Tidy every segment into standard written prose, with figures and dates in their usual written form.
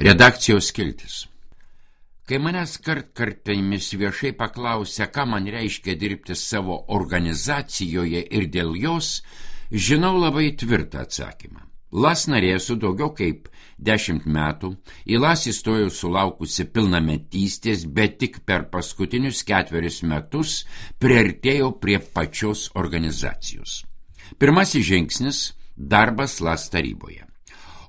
Redakcijos skiltis. Kai manęs kartkartėmis viešai paklausia, ką man reiškia dirbti savo organizacijoje ir dėl jos, žinau labai tvirtą atsakymą. LAS narė esu daugiau kaip 10 metų, į LAS įstojau sulaukusi pilnametystės, bet tik per paskutinius 4 metus priartėjau prie pačios organizacijos. Pirmasis žingsnis – darbas LAS taryboje.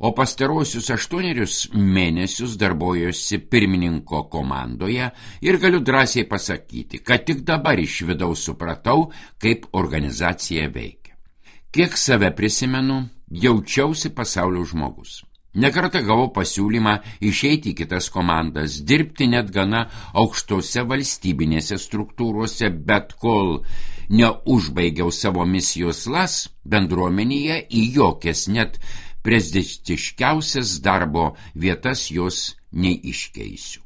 O pastarosius 8 mėnesius darbuojuosi pirmininko komandoje ir galiu drąsiai pasakyti, kad tik dabar iš vidaus supratau, kaip organizacija veikia. Kiek save prisimenu, jaučiausi pasaulio žmogus. Nekartą gavau pasiūlymą išeiti į kitas komandas, dirbti net gana aukštose valstybinėse struktūrose, bet kol neužbaigiau savo misijos LAS bendruomenėje, į jokias net prestižiškiausias darbo vietas jos neiškeisiu.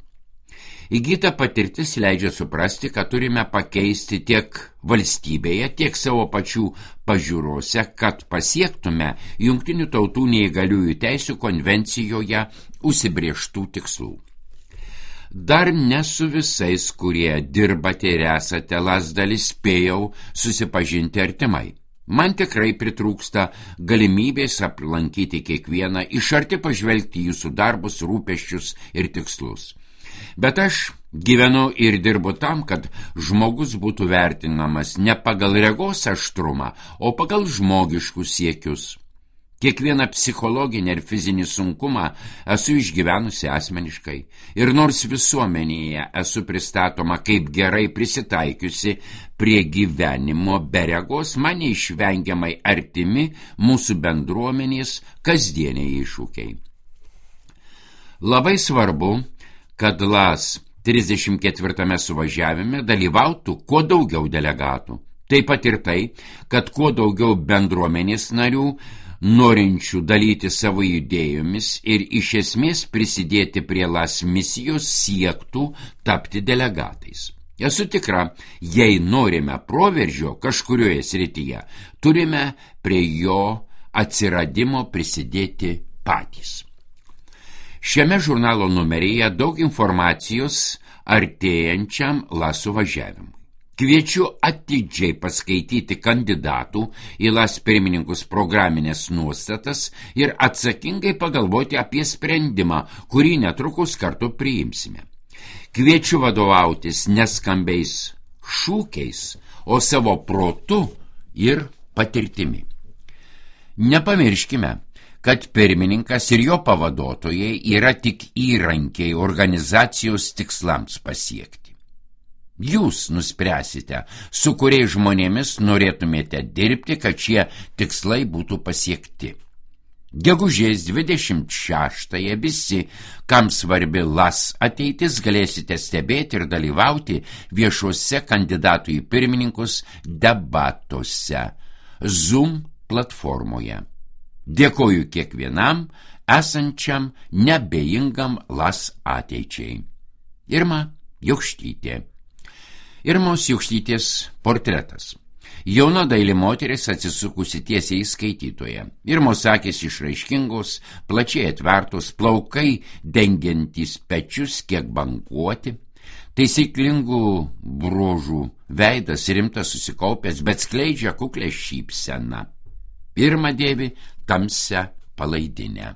Įgyta patirtis leidžia suprasti, kad turime pakeisti tiek valstybėje, tiek savo pačių pažiūrose, kad pasiektume Jungtinių tautų neįgaliųjų teisių konvencijoje užsibrėžtų tikslų. Dar ne su visais, kurie dirbate ir esate LAS dalis, spėjau susipažinti artimai. Man tikrai pritrūksta galimybės aplankyti kiekvieną, iš arti pažvelgti jūsų darbus, rūpesčius ir tikslus. Bet aš gyvenu ir dirbu tam, kad žmogus būtų vertinamas ne pagal regos aštrumą, o pagal žmogiškus siekius. Kiekvieną psichologinį ir fizinį sunkumą esu išgyvenusi asmeniškai ir nors visuomenėje esu pristatoma kaip gerai prisitaikiusi prie gyvenimo be regos, man neišvengiamai artimi mūsų bendruomenės kasdieniai iššūkiai. Labai svarbu, kad LAS 34 suvažiavime dalyvautų kuo daugiau delegatų. Taip pat ir tai, kad kuo daugiau bendruomenės narių norinčių dalyti savo idėjomis ir iš esmės prisidėti prie LAS misijos siektų tapti delegatais. Esu tikra, jei norime proveržio kažkurioje srityje, turime prie jo atsiradimo prisidėti patys. Šiame žurnalo numeryje daug informacijos artėjančiam LAS suvažiavimui. Kviečiu atidžiai paskaityti kandidatų į LAS pirmininkus programinės nuostatas ir atsakingai pagalvoti apie sprendimą, kurį netrukus kartu priimsime. Kviečiu vadovautis neskambiais šūkiais, o savo protu ir patirtimi. Nepamirškime, kad pirmininkas ir jo pavaduotojai yra tik įrankiai organizacijos tikslams pasiekti. Jūs nuspręsite, su kuriais žmonėmis norėtumėte dirbti, kad šie tikslai būtų pasiekti. Gegužės 26-ąją visi, kam svarbi LAS ateitis, galėsite stebėti ir dalyvauti viešuose kandidatų į pirmininkus debatuose Zoom platformoje. Dėkoju kiekvienam esančiam neabejingam LAS ateičiai. Irma Jokštytė. Irmos Jokštytės portretas. Jauna daili moteris atsisukusi tiesiai į skaitytoją. Irmos akys išraiškingos, plačiai atvertos, plaukai dengiantys pečius kiek bankuoti, taisyklingų bruožų veidas rimtas susikaupęs, bet skleidžia kuklę šypseną. Irma dėvi tamsią palaidinę.